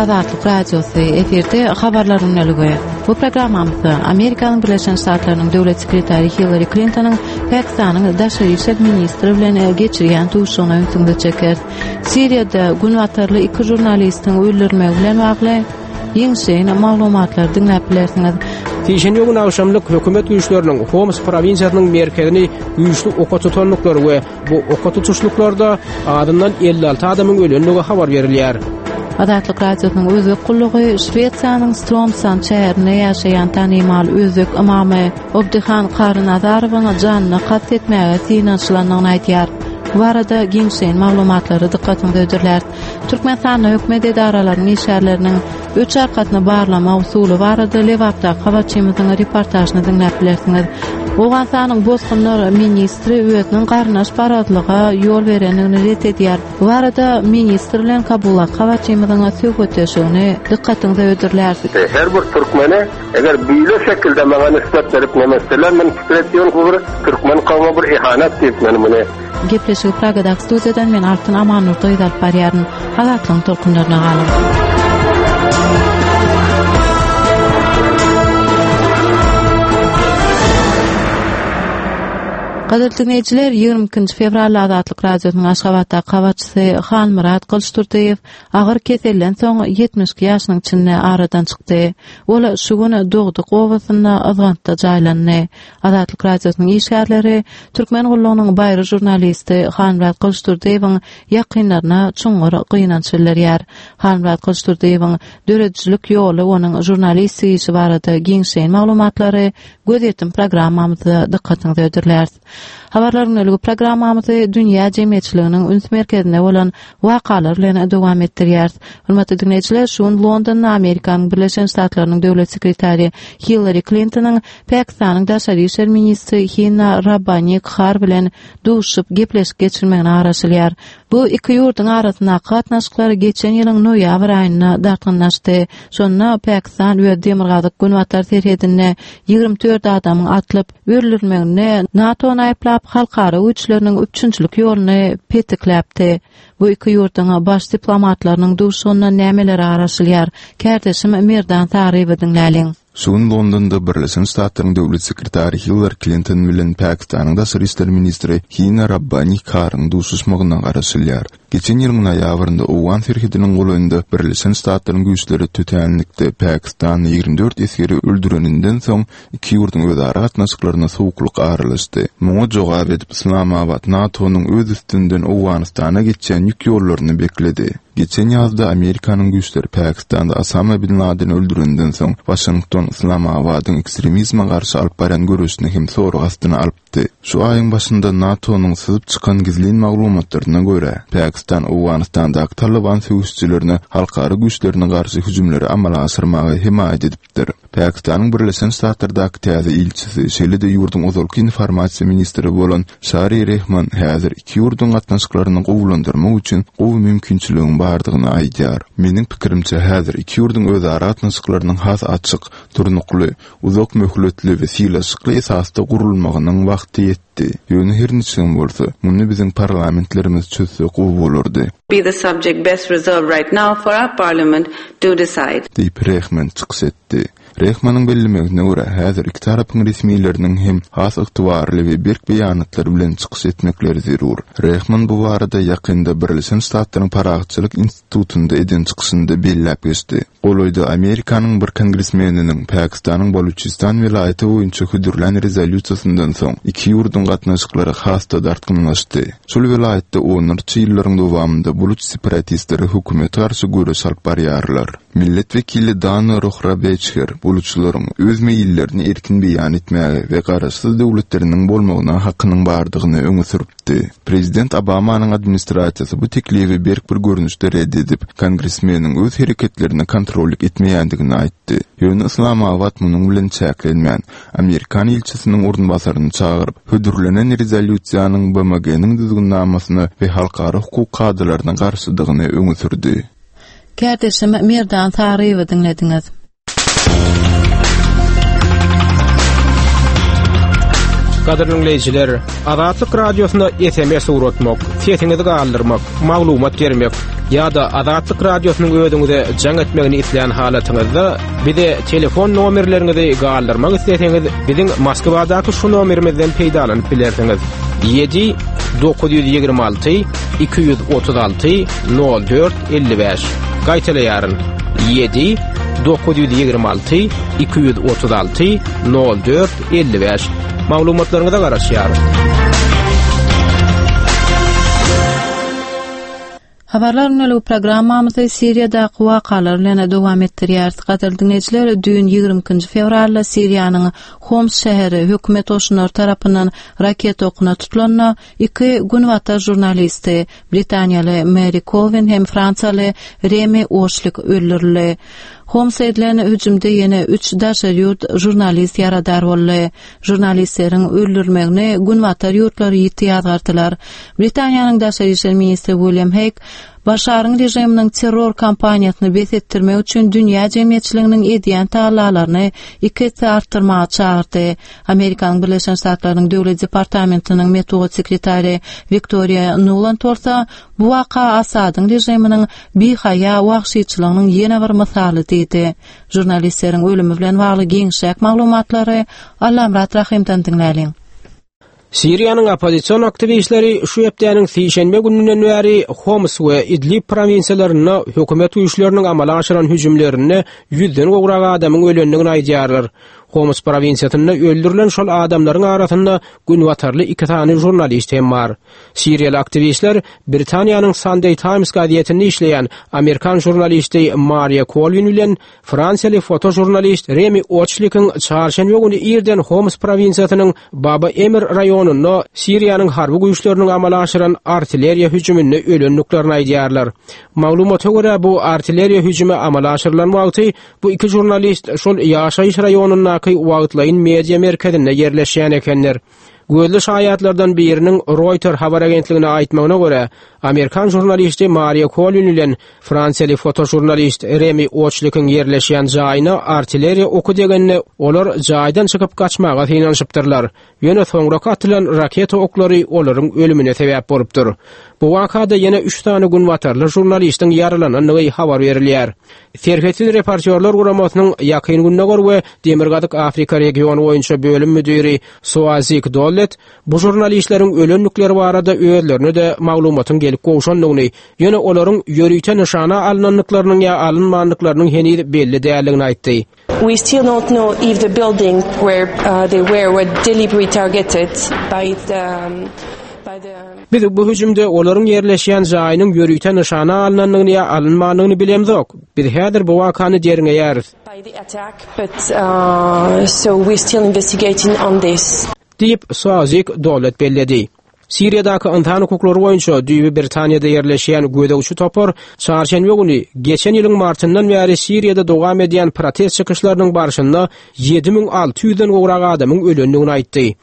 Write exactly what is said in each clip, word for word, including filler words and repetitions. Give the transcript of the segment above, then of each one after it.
Azatlyk Radiosy, efirde Habarlar gündeligi. Bu programmamyzda Amerikanyň Birleşen Ştatlarynyň Döwlet sekretary Hillari Klintonyň Pakistanyň daşary işler ministri bilen geçirýän duşuşygyna ünsüňizi çekeris. Siriýada günbatarly iki žurnalistiň öldürilmegi bilen bagly giňişleýin maglumatlary diňläp bilersiňiz. Sişenbe güni agşamlyk hökümet güýçleriniň Homs prowinsiýasynyň merkezini güýçli oka tutandyklary we bu oka tutuşlyklarda azyndan elli alty adamyň ölendigi habar berilýär. Azatlyk Radiosynyň Özbek gullugy Şwesiýanyň Stromsand şäherinde ýaşaýan tanymal özbek ymamy Obdihan Karynazarowyň janyna kast etmäge synanyşylandygyny aýdýar. Bu barada giňişleýin maglumatlary dykgatyňyza hödürläris. Türkmenistanda hökümet edaralarynyň işgärleriniň öç arkasyny barlama usuly barada Lebapdaky habarçymyzyň reportažyny diňläp bilersiňiz. Owganystanyň bosgunlar ministri özüniň garyndaşparazlyga ýol berendigini ret edýär. Bu barada ministr bilen Kabuldaky habarçymyzyň söhbetdeşligini dykgatyňyza hödürläris. Her bir türkmene eger beýle şekilde maňa nisbet berip neme etseler, men pikir etýän bu bir türkmen kowma bir ihanet diýip men muny. Gepleşigi Pragadaky studiýadan men Altyn Amannurdyýew alyp barýaryn. Azatlygyň tolkunlaryna galyň. Gadyrly diňleýjiler, ýigrimi ikinji fewralda Azatlyk Radiosynyň Aşgabatdaky habarçysy Halmyrat Gylyçdurdyýew agyr keselden soň ýetmiş iki ýaşynyň içinde aradan çykdy. Ol şu gün dogduk obasynda Yzgantda jaýlandy. Azatlyk Radiosynyň işgärleri Türkmen gullugynyň baýry žurnalisti Halmyrat Gylyçdurdyýewiň ýakynlaryna çuňňur gynanç bildirýär. Halmyrat Gylyçdurdyýewiň döredijilik ýoly, onuň žurnalistik işi barada giňişleýin maglumatlary Gözýetim programmamyzda dykgatyňyza hödürläris. Habarlar gündeligi programmamyzy dünýä jemgyýetçiliginiň üns merkezinde bolan wakalar bilen dowam etdirýäris. Hormatly diňleýjiler, şu gün Londonda Amerikanyň Birleşen Ştatlarynyň Döwlet sekretary Hillari Klintonyň Pakistanyň daşary işler ministri Hina Rabbani Khar bilen duşuşyp gepleşik geçirmegine garaşylýar. Bu iki ýurduň arasyndaky gatnaşyklar geçen ýylyň noýabr aýynda dartgynlaşdy. Şonda Pakistan öz demirgazyk-günbatar serhedinde ýigrimi dört adamyň atlyp öldürilmeginde NATO-ny aýyplap, halkara güýçleriniň üpjünçilik ýoluny petikläpdi. Bu iki ýurduň baş diplomatlarynyň duşuşygyndan nämelere garaşylýar? Kärdeşim Merdan Saryýewi diňläliň. Şu gün Londonda Birleşen Ştatlaryň Döwlet sekretary Hillari Klinton bilen Pakistanyň daşary işler ministri Hina Rabbani Kharyň duşuşmagyna garaşylýar. Geçen ýylyň noýabrynda owgan serhediniň golaýynda Birleşen Ştatlaryň güýçleri tötänlikde pakistanly ýigrimi dört esgeri öldüreninden soň iki ýurduň özara gatnaşyklaryna sowuklyk aralaşdy. Muňa jogap edip Yslamabat NATO-nyň öz üstünden Owganystana geçýän ýük ýollaryny bekledi. Geçen ýazda Amerikanyň güýçleri Pakistanda Osama bin Ladeni öldürenden soň, Waşington Yslamabadyň ekstremizme garşy alyp barýan göreşini hem sorag astyna alypdy. Şu aýyň başynda NATO-nyň syzyp çykan gizlin maglumatlaryna görä, Pakistan Owganystandaky Talyban söweşijilerine halkara güýçlerine garşy hüjümleri amala aşyrmaga hemaýat edipdir. Pakistanyň Birleşen Ştatlardaky täze ilçisi, şeýle-de ýurduň ozalky informasiýa ministri bolan Şari Rehman häzir iki ýurduň gatnaşyklaryny gowulandyrmak üçin gowy mümkinçiligiň bardygyny aýdýar. Meniň pikirimçe, häzir iki ýurduň özara gatnaşyklarynyň has açyk, durnukly, uzak möhletli we sylaşykly esasda gurulmagynyň wagty ýetdi. Ýöne her niçigem bolsa, muny biziň parlamentlerimiz çözse gowy bolardy. Be the subject best reserved right now for our parliament to decide. Diýip, Rehman çykyş etdi. Rehmanyň bellemegine görä, häzir iki tarapyň resmileriniň hem has ygtybarly we berk beýanatlar bilen çykyş etmekleri zerur. Rehman bu barada ýakynda Birleşen Ştatlaryň Parahatçylyk institutynda eden çykyşynda belläp geçdi. Golaýda Amerikanyň bir kongresmeniniň Pakistanyň Baluçistan welaýaty boýunça hödürlän rezolýusiýasyndan soň, iki ýurduň gatnaşyklary has-da dartgynlaşdy. Şol welaýatda onlarça ýyllaryň dowamynda buluç separatistleri hökümete garşy göreş alyp barýarlar. Millet wekili Dana Rohrabeçher buluçlaryň öz meýillerini erkin beýan etmäge we garaşsyz döwletleriniň bolmagyna hakynyň bardygyny öňe sürüpdi. Prezident Obamanyň administrasiýasy bu teklibi berk bir görnüşde red edip, kongresmeniň öz hereketlerine kontrollyk etmeýändigini aýtdy. Ýöne Yslamabat munuň bilen çäklenmän, amerikan ilçisiniň orunbasaryny çagyryp, hödürlenen rezolýusiýanyň B M G-niň düzgünnamasyna we halkara hukuk kadalaryna garşydygyny öňe sürdi. Kärdeşim Merdan Saryýewi diňlediňiz. Gadyrly dinleýjiler, Azatlyk Radiosyna S M S ugratmak, sesiňizi galdyrmak, maglumat bermek ýa-da Azatlyk Radiosynyň özüňize jaň etmegini isleýän halatyňyzda bize telefon nomerleriňizi galdyrmak isleseňiz, biziň Moskwadaky şu nomerimizden peýdalanyp bilersiňiz. ýedi dokuz ýüz ýigrimi alty iki ýüz otuz alty nol dört elli bäş. Gaýtalaýaryn. ýedi dokuz ýüz ýigrimi alty iki ýüz otuz alty nol dört elli bäş. Maglumatlaryňyza garaşýarys. Habarlar günlük programmamyzy Siriýadaky wakalar bilen dowam etdirýäris. Gadyrly dinleýjiler, düýn ýigrimi ikinji fewralda Siriýanyň Homs şäheri hökümet goşunlary tarapyndan raketa okuna tutulanda iki günbatar žurnalisti, Britaniýaly Mary Colvin hem Fransiýaly Remi Oşlik öldürildi. Homsa edilen hüjümde ýene üç daşary ýurt žurnalist ýaradar boldy. Žurnalistleriň öldürilmegini günbatar ýurtlary ýiti ýazgardylar. Britaniýanyň daşary işler ministri William Hague Başaryň režiminiň terror kampaniýasyny bes etdirmek üçin dünýä jemgyýetçiliginiň edýän tagallalaryny iki esse artdyrmaga çagyrdy. Amerikanyň Birleşen Ştatlarynyň Döwlet departamentiniň metbugat sekretary Wiktoriýa Nuland bolsa bu waka Asadyň režiminiň bihaýa wagşyçylygynyň ýene bir mysaly diýdi. Žurnalistleriň ölümi bilen bagly giňişräk maglumatlary Allamyrat Rahymdan diňläliň. Siriýanyň oppozision aktiwistleri şu hepdäniň sişenbe gününden bäri Homs we Idlib prowinsiýalarynda hökümet güýçleriniň amala aşyran hüjümlerinde ýüzden gowrak adamyň ölendigini aýdýarlar. Homs prowinsiýasynda öldürilen şol adamlaryň arasynda günbatarly iki sany žurnalist hem bar. Siriýaly aktiwistler Britaniýanyň Sunday Times gazetinde işleýän Amerikan žurnalisti Maria Colvin bilen Fransiýaly fotožurnalist Remi Oçlikiň çarşenbe güni irden Homs prowinsiýasynyň Baba Emir raýonynda Siriýanyň harby güýçleriniň amala aşyran artilleriýa hüjüminde ölendiklerini aýdýarlar. Maglumata görä, bu artilleriýa hüjümi amala aşyrylan wagty bu iki žurnalist şol ýaşaýyş raýonyndaky wagtlaýyn media merkezinde ýerleşýän ekenler. Gözli şaýatlardan biriniň Reuters habar agentligine aýtmagyna görä, Amerikan žurnalisti Maria Colvin bilen Fransiýaly fotožurnalist Remi Oçlikiň ýerleşýän jaýyna artilleriýa oky degende olar jaýdan çykyp gaçmaga synanyşypdyrlar. Ýöne soňra atylan raketa oklary olaryň ölümine sebäp bolupdyr. Bu wakada ýene üç sany günbatarly žurnalistiň ýaralanandygy habar berilýär. Serhetsiz reportýorlar guramasynyň Ýakyn Gündogar we Demirgazyk Afrika regiony boýunça bölüm müdiri Soazik Dollet bu žurnalistleriň ölendikleri barada özlerine de maglumatyň gelip gowşandygyny, ýöne olaryň ýörite nyşana alynandyklarynyň ýa alynmandyklarynyň heniz belli däldigini aýtdy. We still don't know if the building where uh, they were were deliberately targeted by the, um, by the Biz bu hüjümde olaryň ýerleşýän jaýynyň ýörite nyşana alynandygyny ýa alynmandygyny bilemzok. Biz häzir bu wakany derňeýäris. By the attack, but uh, so we're still investigating on this. Diýip Soazik Dollet belledi. Siriýadaky ynsan hukuklary boýunça düýbi Britaniýada ýerleşýän gözegçi topar çarşenbe güni geçen ýylyň martyndan bäri Siriýada dowam edýän protest çykyşlarynyň barşynda ýedi müň alty ýüzden gowrak adamyň ölendigini aýtdy.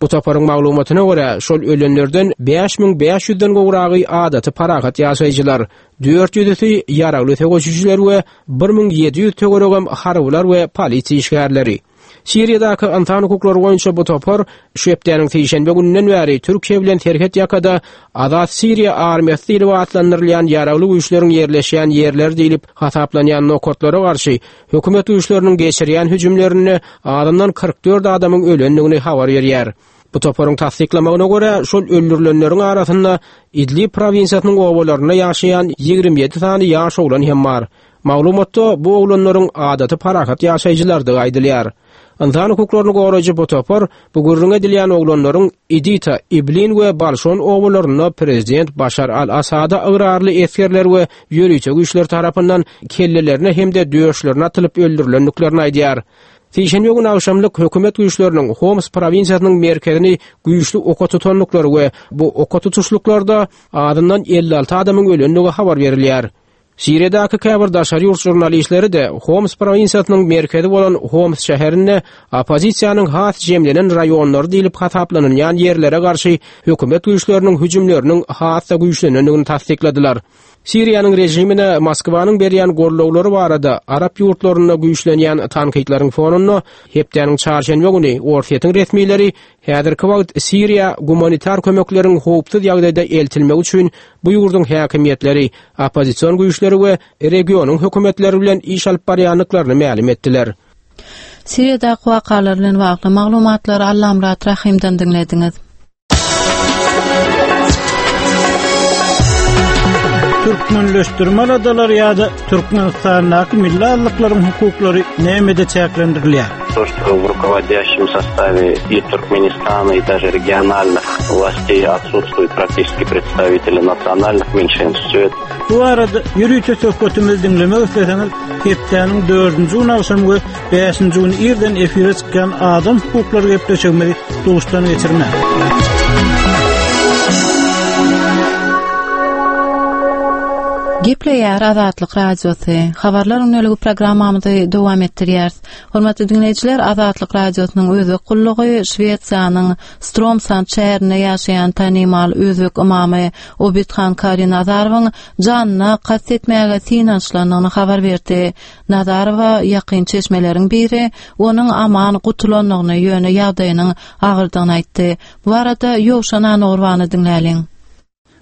Bu toparyň maglumatyna görä, şol ölenlerden bäş müň bäş ýüzden gowragy adaty parahat ýaşaýjylar, dört ýüzüsi ýaragly söweşijiler we bir müň ýedi ýüz töweregem harbylar we polisiýa işgärleri. Siriýadaky ynsan hukuklary boýunça bu topar şu hepdäniň sişenbe gününden bäri Türkiýe bilen serhet ýakada Azat Siriýa armiýasy diýlip atlandyrylýan ýaragly güýçleriň ýerleşýän ýerleri diýlip hasaplanýan nokatlara garşy hökümet güýçleriniň geçirýän hüjümlerinde azyndan kyrk dört adamyň ölendigini habar berýär. Bu toparyň tassyklamagyna görä, şol öldürilenleriň arasynda Idlib prowinsiýasynyň obalarynda ýaşaýan ýigrimi ýedi sany ýaş oglan hem bar. Maglumatda bu oglanlaryň adaty parahat ýaşaýjylardygy aýdylýar. Ynsan hukuklaryny goraýjy bu topar bu gürrüň edilýän oglanlaryň Idita, Iblin we Balşon obalarynda prezident Başar al-Asada ygrarly esgerler we ýörite güýçler tarapyndan kellelerine hem-de döşlerine atylyp öldürilendiklerini aýdýar. Sişenbe gün agşamlyk hökümet güýçleriniň Homs prowinsiýasynyň merkezini güýçli oka tutandyklary we bu oka tutuşlyklarda azyndan elli alty adamyň ölendigi habar berilýär. Siriýadaky käbir daşary ýurt žurnalistleri de Homs prowinsiýasynyň merkezi bolan Homs şäherinde oppozisiýanyň has jemlenen raýonlary diýlip hasaplanylýan ýerlere garşy hökümet güýçleriniň hüjümleriniň has-da güýçlenendigini tassykladylar. Siriýanyň režimine Moskwanyň berýän gollawlary barada arap ýurtlarynda güýçlenýän tankytlaryň fonunda hepdäniň çarşenbe güni Orsýetiň resmileri häzirki wagt Siriýa gumanitar kömekleriň howpsuz ýagdaýda eltilmegi üçin bu ýurduň häkimiýetleri, oppozision güýçleri we regionyň hökümetleri bilen iş alyp barýandyklaryny mälim etdiler. Siriýadaky wakalar bilen bagly maglumatlary Allamyrat Rahymdan diňlediňiz. Türkmenleşdirme aladalary ýa-da Türkmenistandaky milli azlyklaryň hukuklary nämede çäklendirilýär? То, что в руководящем составе и Туркменистана, и даже региональных властей отсутствуют практически представители национальных меньшинств. Все это Bu arada ýörite söhbetimizi diňlemek isleseňiz, hepdäniň dördünji gün agşam we bäşinji gün irden efire çykýan adam hukuklary gepleşigimizi duşdan geçirmäň. Gepleýär Azatlyk Radiosy. Habarlar ünlüligi programmamyzy dowam etdirýär. Hormatly dinleýjiler, Azatlyk Radiosynyň özbek gullugy Şwesiýanyň Stromsand şäherinde ýaşaýan tanymal özbek ymamy Obidhan Kari Nazarowyň janyna kast etmäge synanyşylandygyny habar berdi. Nazarowa ýakyn çeşmeleriň biri onuň aman gutulandygyny, ýöne ýagdaýynyň agyrdygyny aýtdy. Bu arada Ýowşan Anogurwany diňläliň.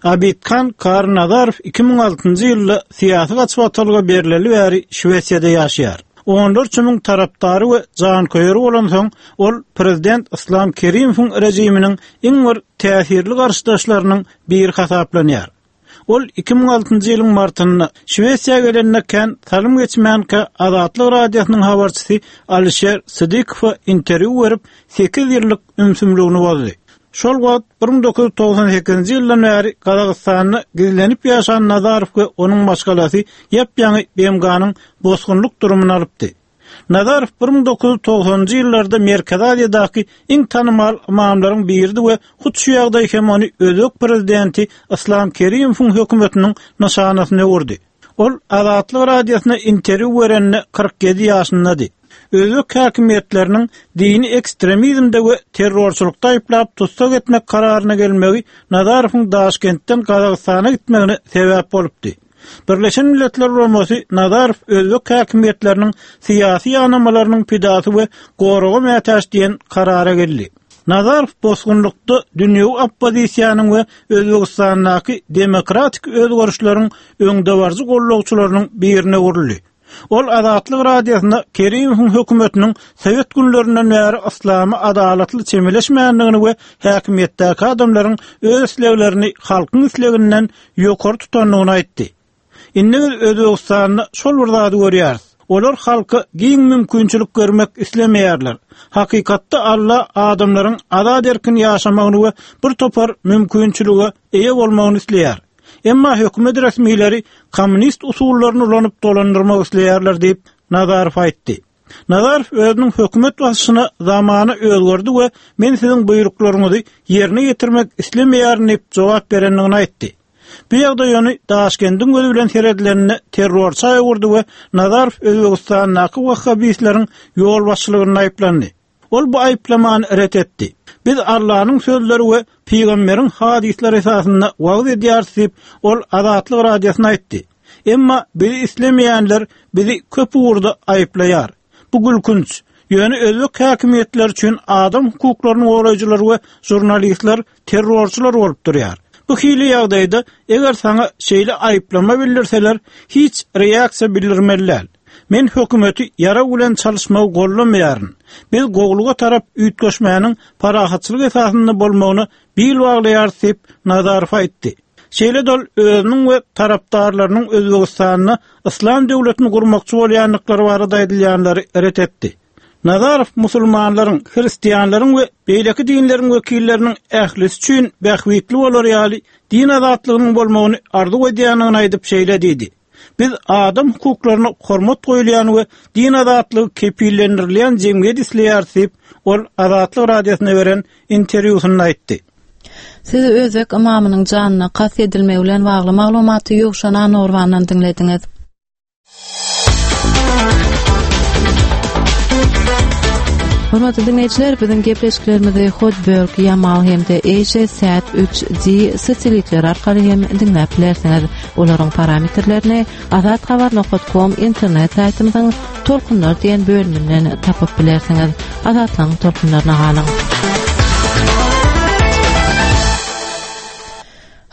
Abidhan Kari Nazarow iki müň altynjy ýylda syýasy gaçybatalga berileli bäri Şwesiýada ýaşaýar. Onlarça müň tarapdary we janköýeri bolansoň, ol prezident Islam Kerimowyň režiminiň iň bir täsirli garşydaşlarynyň biri hasaplanýar. Ol iki müň altynjy ýylyň martynda Şwesiýa gelende kän salym geçmänkä Azatlyk Radiosynyň habarçysy Alişer Sidykowa interwýu berip sekiz ýyllyk ümsümligini bozdy. Şol wagt bir müň dokuz ýüz togsan sekizinji ýyldan bäri Gazagystanda gizlenip ýaşan Nazarow we onuň maşgalasy ýap-ýaňy B M G-nyň bosgunlyk durumyny alypdy. Nazarow bir müň dokuz ýüz togsanynjy ýyllarda Merkezi Aziýadaky iň tanymal imamlaryň biridi we hut şu ýagdaý hem ony özbek prezidenti Islam Kerimowyň hökümetiniň nyşanasyna öwürdi. Ol Azatlyk Radiosyna interwýu berende kyrk ýedi ýaşyndady. Özbek häkimiýetleriniň dini ekstremizmde we terrorçylykda aýyplap tutsak etmek kararyna gelmegi Nazarowyň Daşkentden Gazagystana gitmegine sebäp bolupdy. Birleşen Milletler Guramasy Nazarow özbek häkimiýetleriniň syýasy ýanamalarynyň pidasy we goraga mätäç diýen karara geldi. Nazarow bosgunlykda dünýewi oppozisiýanyň we Özbegistandaky demokratik özgerişleriň öňdebaryjy gollagçylarynyň birine öwrüldi. Ol Azatlyk Radiosyna Kerimowyň hökümetiniň Sowet günlerinden bäri yslamy adalatly çemeleşmändigini we häkimiýetdäki adamlaryň öz isleglerini halkyň isleginden ýokary tutandygyny aýtdy. Indi biz Özbegistanda şol bir zady görýäris. Olar halka giň mümkinçilik görmek islemeýärler. Hakykatda Allah adamlaryň azat erkin ýaşamagyny we bir topar mümkinçilige eýe bolmagyny isleýär. Emma hökümet resmileri komünist usullaryny ulanyp dolandyrmak isleýärler diýip Nazarow aýtdy. Nazarow özüniň hökümet basyşyna zamany özgerdi we men siziň buýruklaryňyzy ýerine ýetirmek islemeýärin diýip jogap berendigini aýtdy. Bu ýagdaý ony Daşkendiň gözi bilen seredileninde terrorça öwürdi we Nazarow Özbegistandaky wahhabistleriň ýolbaşçylygynda aýyplandy. Ol bu aýyplamany ret etdi. Biz Allah'ın sözleri we peygamberiň hadisleri esasynda wagyz edýäris diýip, ol Azatlyk Radiosyna aýtdy. Emma bizi islemeýänler bizi köp ugurda aýyplaýar. Bu gülkünç. Ýöne özbek häkimiýetleri üçin adam hukuklarynyň goraýjylary we jurnalistler terrorçylar bolup durýar. Bu hili ýagdaýda eger sana şeýle aýyplama bildirseler, hiç reaksiýa bildirmeliler. Men hökümeti ýara bilen çalışmagy gollamaýaryn. Biz gowluga tarap üýtgeşmäniň parahatçylyk esasynda bolmagyny bil baglaýarys diýip Nazarow aýtdy. Şeýle dol özüniň we tarapdarlarynyň Özbegistanda Islam döwletini gurmakçy bolýandyklary barada aýdylýanlary ret etdi. Nazarow musulmanlaryň, hristianlaryň we beýleki dinleriň wekilleriniň ählisi üçin bähbitli bolar ýaly din azatlygynyň bolmagyny arzuw edýändigini aýdyp şeýle diýdi. Biz adam hukuklaryna hormat goýulýan we din azatlygy kepillendirilýän jemgyýet isleýäris diýip, ol Azatlyk Radiosyna beren interwýusynda aýtdy. Siz özbek ymamynyň janyna kast edilmegi bilen bagly maglumaty Ýowşan Anogurwandan diňlediňiz. Hormatly dinleýjiler, biziň gepleşiklerimizi Hotbird, Yamal hem-de Asia Sat üç D satelitleri arkaly hem diňläp bilersiňiz. Olaryň parametrlerini azathabar nokta com internet saýtymyzyň Tolkunlar diýen bölüminden tapyp bilersiňiz. Azatlygyň tolkunlaryna galyň.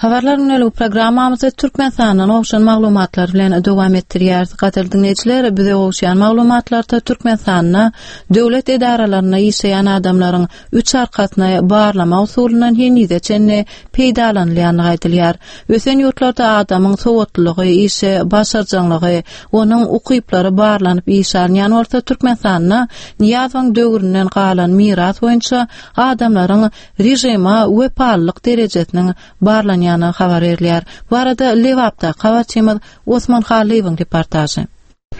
Habarlar günlük programmamyzy Türkmenistandan gowşan maglumatlar bilen dowam etdirýäris. Gadyrly dinleýjiler, bize gowşan maglumatlarda Türkmenistanda döwlet edaralarynda işleýän adamlaryň üç arkasyny barlama usulyndan henize çenli peýdalanylýandygy aýdylýar. Ösen ýurtlarda adamyň sowatlylygy, işe başarjaňlygy, onuň ukyplary barlanyp iş alynýan bolsa, Türkmenistanda Nyýazowyň döwründen galan miras boýunça adamlaryň rejime wepalylyk derejesiniň barlanýany habar berilýär. Bu arada Lebapda habarçymyz Osman Halyýewiň reportažy.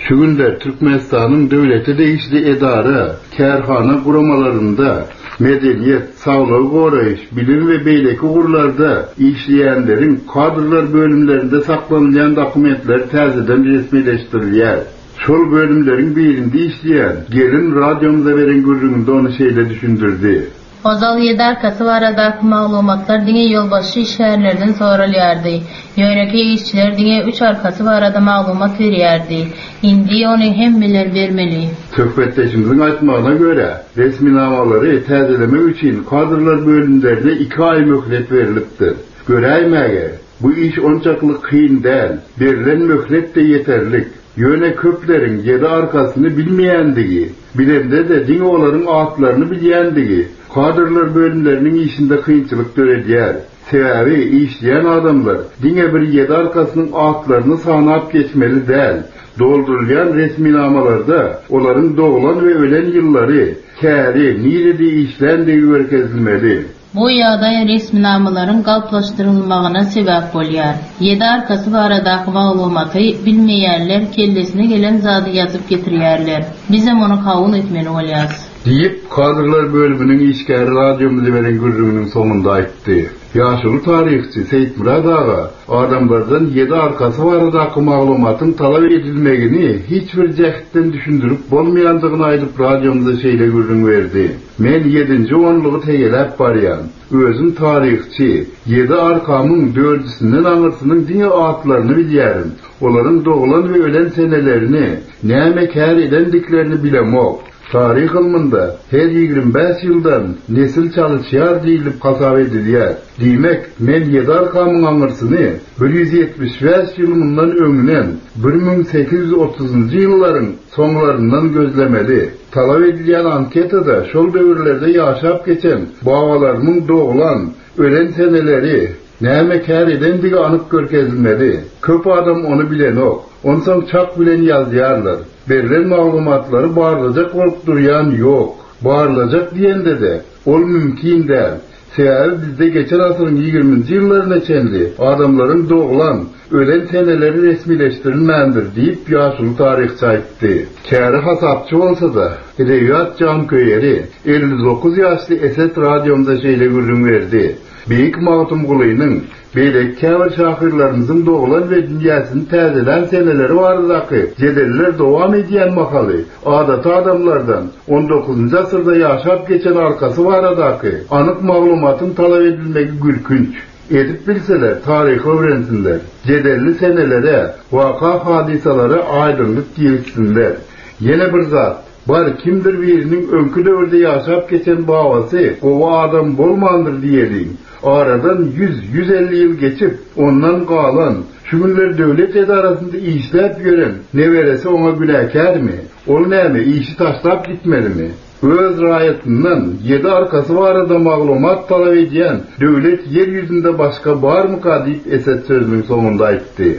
Şu günde Türkmenistanyň döwlete degişli edara, kärhana guramalarynda medeniýet, saglygy goraýyş, bilim we beýleki ugurlarda işleýänleriň kadrlar bölümlerinde saklanylýan dokumentler täzeden resmileşdirilýär. Şol bölümleriň birinde işleýän gelin radiomyza beren gürrüňinde ony şeýle düşündirdi. Ozal ýedi arkasy baradaky maglumatlar diňe ýolbaşçy işgärlerden soralýardy. Ýönekeý işçiler diňe üç arkasy barada maglumat berýärdi. Indi ony hemmeler bermeli. Söhbetdeşimiziň aýtmagyna görä, resminamalary täzelemek üçin kadrlar bölümlerine iki aý möhlet berilipdir. Göräýmäge, bu iş onçakly kyn däl, berilen möhlet de ýeterlik. Ýöne köpleriň ýedi arkasyny bilmeýändigi, bilende-de diňe olaryň atlaryny bilýändigi kadrlar bölümleriniň işinde kynçylyk döredýär. Sebäbi işleýän adamlar diňe bir ýedi arkasynyň atlaryny sanap geçmeli däl. Doldurylýan resminamalarda olaryň doglan we ölen ýyllary, käri, nirede işländigi görkezilmeli. Bu ýagdaý resminamalaryň galplaşdyrylmagyna sebäp bolýar. Ýedi arkasy baradaky maglumaty bilmeýänler kellesine gelen zady ýazyp getirýärler. Bizem ony kabul etmeli bolýarys. Diýip, kadrlar bölüminiň işgäri radiomyza beren gürrüňiniň soňunda aýtdy. Ýaşuly taryhçy Seýitmyrat aga adamlardan ýedi arkasy baradaky maglumatyň talap edilmegini hiç bir jähtden düşündirip bolmaýandygyny aýdyp radiomyza şeýle gürrüň berdi. Men ýedinji onlugy tegeläp barýan. Özüm taryhçy, ýedi arkamyň dördüsinden aňyrsynyň diňe atlaryny bilýärin. Olaryň doglan we ölen senelerini, näme kär edendiklerini bilemok. Taryh ylmynda her ýigrimi bäş ýyldan nesil çalyşýar diýilip hasap edilýär. Diýmek, men ýedi arkamyň aňyrsyny bir ýüz ýetmiş bäş ýyl mundan öňünden bir müň sekiz ýüz otuzynjy ýyllaryň soňlaryndan gözlemeli. Talap edilýän anketada şol döwürlerde ýaşap geçen babalarymyň doglan, ölen seneleri, näme kär edendigi anyk görkezilmeli. Köp adam ony bilenok. Onsoň çak bilen ýazýarlar. Berilen maglumatlary barlajak bolup durýan ýok. Barlajak diýende de ol mümkin däl. Sebäbi bizde geçen asyryň ýigriminji ýyllaryna çenli adamlaryň doglan, ölen seneleri resmileşdirilmändir diýip ýaşuly taryhçy aýtdy. Käri hasapçy bolsa-da, edebiýat janköýeri elli dokuz ýaşly Eset radiomyza şeýle gürrüň berdi. Beýik Magtymgulynyň beýleki käbir şahyrlarymyzyň doglan we dünýäsini täzelän seneleri baradaky jedeller dowam edýän mahaly adaty adamlardan on dokuzynjy asyrda ýaşap geçen arkasy baradaky anyk maglumatyň talap edilmegi gülkünç. Edip bilseler taryhy öwrensinler, jedelli senelere, waka hadysalara aýdyňlyk girizsinler. Ýene bir zat, bar kimdir biriniň öňki döwürde ýaşap geçen babasy gowy adam bolmandyr diýeliň. Aradan ýüz, ýüz elli ýyl geçip, ondan galan, şu günler döwlet edarasynda işläp ýören neberesi oňa günäkärmi? Ol näme, işi taşlap gitmelimi? Öz raýatyndan ýedi arkasy barada maglumat talap edýän döwlet ýer ýüzünde başga barmyka diýip Eset sözüniň soňunda aýtdy.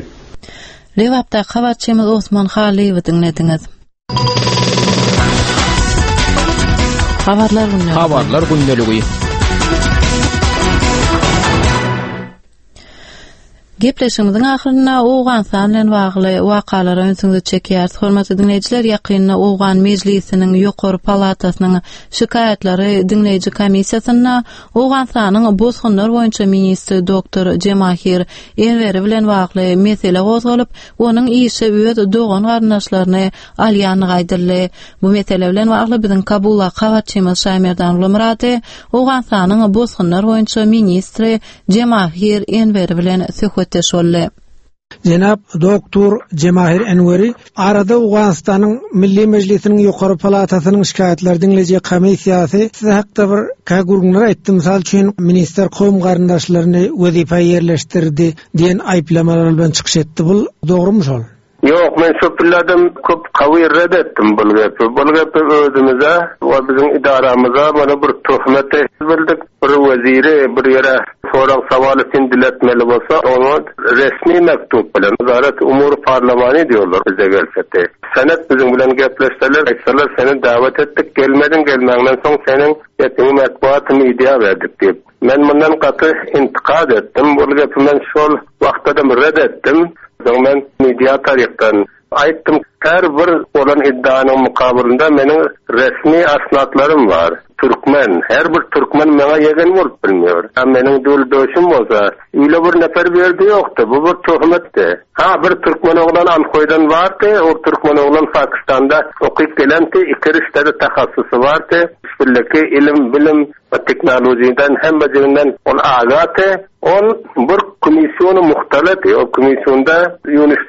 Lebapda habarçymyz Osman Halyýewi diňlediňiz. Habarlar gündeligi. Habarlar gündeligi. Gepleşigimiziň ahyrynda Owganystan bilen bagly wakalara ünsüňizi çekýäris. Hormatly diňleýjiler, ýakynda Owgan Mejlisiniň ýokary palatasynyň şikaýatlary diňleýji komissiýasynda Owganystanyň bosgunlar boýunça ministri doktor Jemahir Enweri bilen bagly mesele gozgalyp, onuň işe öz dogan-garyndaşlaryny alýandygy aýdyldy. Bu mesele bilen bagly biziň Kabuldaky habarçymyz Şaýmerdan Gulmyrady Owganystanyň bosgunlar boýunça ministri Jemahir Enweri bilen söhbetdeş boldy. Jenap doktor Jemahir Enweri arada Owganystanyň Milli Mejlisiniň ýokary palatasynyň şikaýatlar diňleýji komissiýasy size hakda bir kä gürrüňler aýtdy. Mysal üçin ministr kowum garyndaşlaryny wezipä ýerleşdirdi diýen aýyplamalar bilen çykyş etdi. Bu dogrumy şol? Ýok, men şu pillerden köp kawy red etdim bul gepi. Bul gepi özümize we biziň idaramyza mana bir töhmet bildik. Bir weziri bir ýere sorag sowal üçin diletmeli bolsa, oňa resmi mektup bilen Wazaret Umur Parlamany diýorlar bize gelsedi. Senet biziň bilen gepleşseler, aýtsalar seni dawet etdik, gelmediň, gelmäňden soň seniň gepiňi metbuat media berdik diýip. Men bundan gaty intikad etdim. Bul gepi men şol wagtda da red etdim. Soň men media taryhdan aýtdym. Her bir bolan iddianyň mukabylynda meniň resmi asnatlarym bar. Türkmen, her bir türkmen meňe ýegen bolup bilmiyor. Ha meniň dul döşüm bolsa, öyle bir nefer bir ýerde ýokdy. Bu bir töhmetdi. Ha bir türkmen oglan Ankoýdan bardy, o türkmen oglan Pakistanda okyp gelenti, iki riştede tahassusy bardy. Bismillaki ilim, bilim we teknolojiden hemmejiginden ol agaty. Ol bir komissiýony muhtalat, o komissiýonda Yunus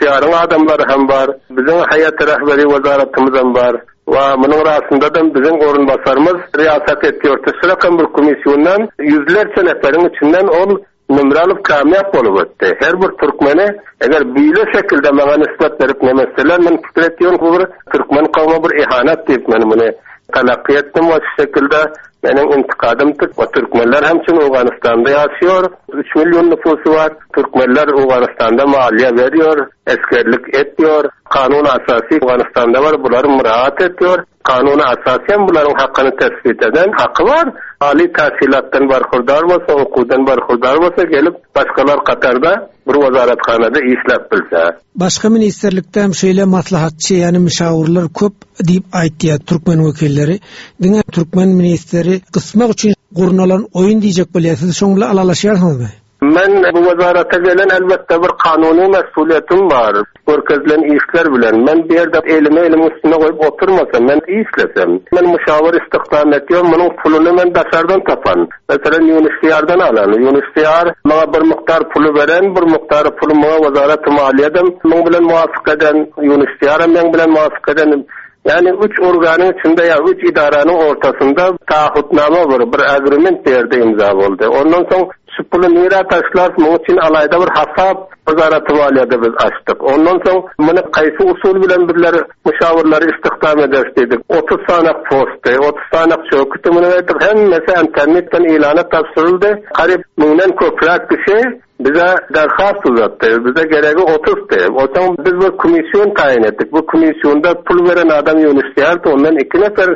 adamlary hem bar, biziň Hayat Rehberi Wazaratymyz hem bar. We munuň arasynda da biziň orunbasarymyz riýasat etýär. Şurakam bir komissiýondan ýüzlerçe neferiň içinden ol nümre alyp kamýap bolup ötdi. Her bir türkmeni eger beýle şekilde maňa nisbet berip nemeseler, men pikir etýän bu bir türkmen kowma bir ihanet diýip men muny talakki etdim we şu şekilde meniň intikadym we türkmenler hem üçin Owganystanda ýaşaýar. üç milyon nüfusy bar. Türkmenler Owganystanda maliýe berýär, eskerlik etýär. Kanun asasy Owganystanda bar, bular müraat etýär. Kanun asasy hem bularyň hakyny tesbit eden haky bar. Ali tahsilatdan barhurdar bolsa, okuwdan barhurdar bolsa gelip başgalar Katarda bir wazarathanada işläp bilse. Başga ministrlikde hem şeýle maslahatçy, ýani müşawirler köp diýip aýtýar türkmen wekilleri. Diňe türkmen ministri gysmak üçin gurnalan oýun diýjek bolýar. Siz şoň bilen alalaşýarsyňyzmy? Men bu wazarata gelen elbetde bir kanuny mesuliyetim bar. Görkezilen işler bilen men bir ýerde elimi elimin üstüne goýup oturmasam, men işlesem, men müşawir istihdam etýän, munuň puluny men daşardan tapan. Mesela Yunus Diyar'dan alan. Yunus Diyar maňa bir mukdar puly beren, bir mukdar puly maňa wazarat maliýeden, muň bilen muwafyk eden, Yunus Diyar meň bilen muwafyk eden. Yani üç organın içinde ya üç idaranın ortasında taahhütname var, bir agreement bir imza boldy. Ondan soň şu puly nirä taşlar, muň üçin alayda bir hasap wazarat maliýede biz açdyk. Ondan soň muny kaýsy usul bilen birler müşawirleri istihdam ederis dedik. otuz sanak posty, otuz sanak çökütü muny etdik. Hemmesi internetden ilana tapşyryldy. Garyp müňden köpräk kişi bize derhast uzatdy. Bize geregi otuzdy. Otaň biz bir komisyon tayin etdik. Bu komisyonda pul veren adam Yunus Diyar'dı. Ondan iki nefer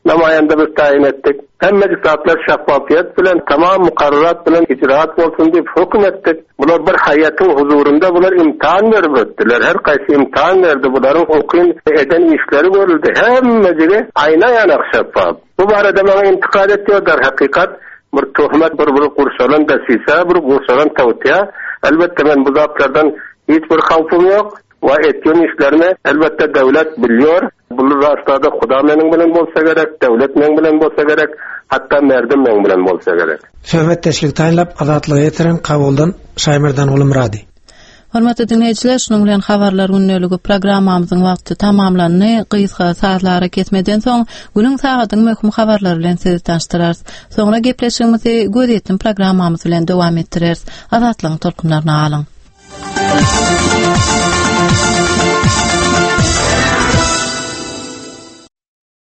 namayanda biz tayin etdik. Hemme zatlar şeffafiyet bilen, tamam mukarrarat bilen icraat bolsun diýip höküm etdik. Bular bir haýatyň huzurunda bular imtihan berip ötdiler. Her kaýsy imtihan berdi. Bularyň okun eden işleri görüldü. Hemmejigi aýna ýanak şeffaf. Bu barada maňa intikad etdiler. Hakikat bir töhmet, bir bir gurşalan dasisa, bir gurşalan tawtiya. Elbetde men bu zatlardan hiç bir hawpum ýok. We etýän işlerimi elbetde döwlet biliyor. Bunu rastada Huda meniň bilen bolsa gerek, döwlet meniň bilen bolsa gerek, hatda merdim meniň bilen bolsa gerek. Söhbetdeşlik taýynlap Azatlyga ýetiren Kabuldan Şaýmerdan Gulmyrady. Hormatly dinleýjiler, şunuň bilen habarlar gündeligi programmamyzyň wagty tamamlandy. Gysga sazlara kesmeden soň günüň sagadyň möhüm habarlary bilen sizi tanyşdyrarys. Soňra gepleşigimizi göz ýetim programmamyz bilen dowam etdireris. Azatlygyň tolkunlaryny alyň.